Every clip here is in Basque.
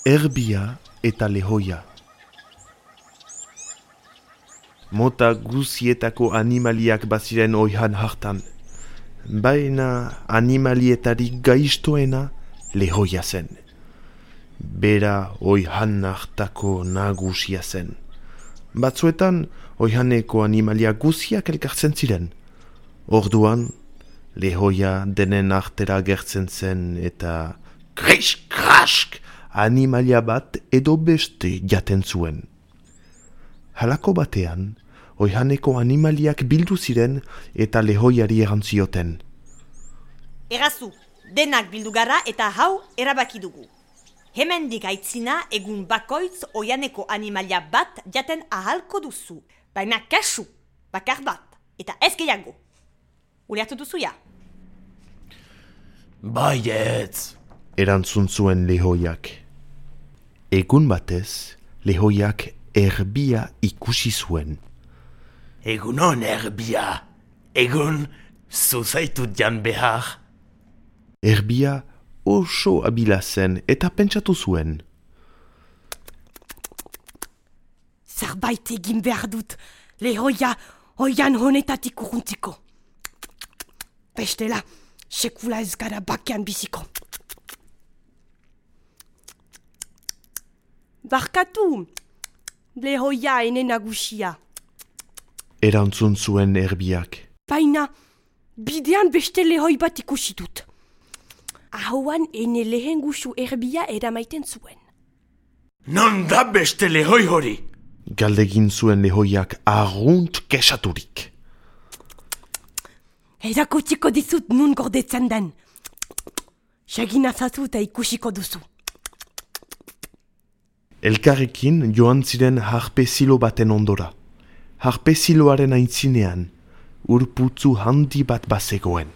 Erbia eta lehoia. Mota guzietako animaliak baziren oihan hartan. Baina animalietarik gaiztoena lehoia zen. Bera oihan hartako nagusia zen. Batzuetan oihaneko animalia guziak elkartzen ziren. Orduan, lehoia denen artera gertzen zen eta krisk-krask animalia bat edo beste jaten zuen. Halako batean, oihaneko animaliak bildu ziren eta lehoiari erantzioten. Errazu, denak bildu gara eta hau erabaki dugu. Hemendik aitzina egun bakoitz oihaneko animalia bat jaten ahalko duzu. Baina kasu, bakar bat, eta ez gehiago. Ulertu duzuia? Baietz! Erantzun zuen lehoiak. Egun batez, lehoiak erbia ikusi zuen. Egunon erbia, egun zuzaitut jan behar. Erbia oso abila zen eta pentsatu zuen. Zerbait egin behar dut, lehoia oian honetatik urruntiko. Bestela, sekula ez gara bakean biziko. Barkatu, lehoia ene nagusia. Erantzun zuen erbiak. Baina, bidean beste lehoi bat ikusi dut. Ahoan ene lehen gusu erbia eramaiten zuen. Non da beste lehoi hori? Galdegin zuen lehoiak arrunt kesaturik. Erakutsiko dizut nun gordetzen den. Segin azazu eta ikusiko duzu. Elkarrekin joan ziren harpe zilo baten ondora. Harpe ziloaren aintzinean, urputzu handi bat bazegoen.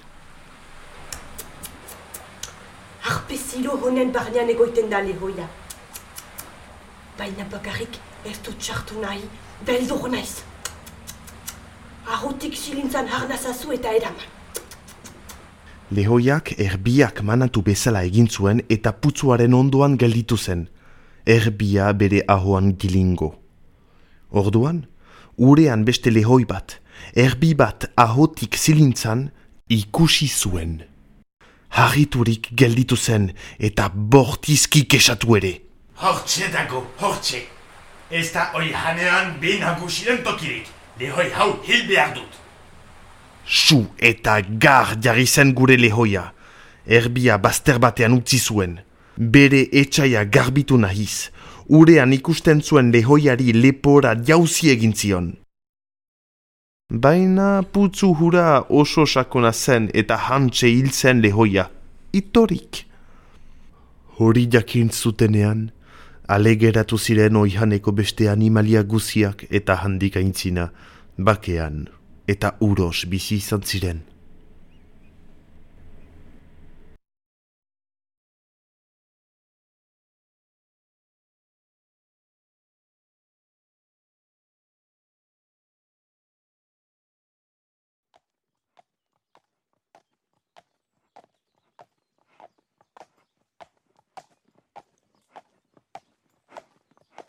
Harpe zilo honen barnean egoiten da lehoia. Baina bakarrik ez dut txartu nahi, beldur naiz. Ahotik silintzan harnazazu eta eraman. Lehoiak erbiak manatu bezala egin zuen eta putzuaren ondoan gelditu zen. Erbia bere ahoan gilingo. Orduan, urean beste lehoi bat, erbi bat ahotik zilintzan ikusi zuen. Harriturik gelditu zen eta bortizki kesatu ere. Hortxe dago, hortxe. Ez da oihanean benagusiren tokirik. Lehoi hau hil behar dut. Su eta gar jarri zen gure lehoia. Erbia bazter batean utzi zuen. Bere etxaia garbitu nahiz. Urean ikusten zuen lehoiari lepora jauzi egin zion. Baina putzu hura oso sakona zen eta hantxe hil zen lehoia. Itorik. Hori jakin zutenean, alegeratu ziren oihaneko beste animalia guziak eta handik aintzina, bakean eta uros bizi izan ziren.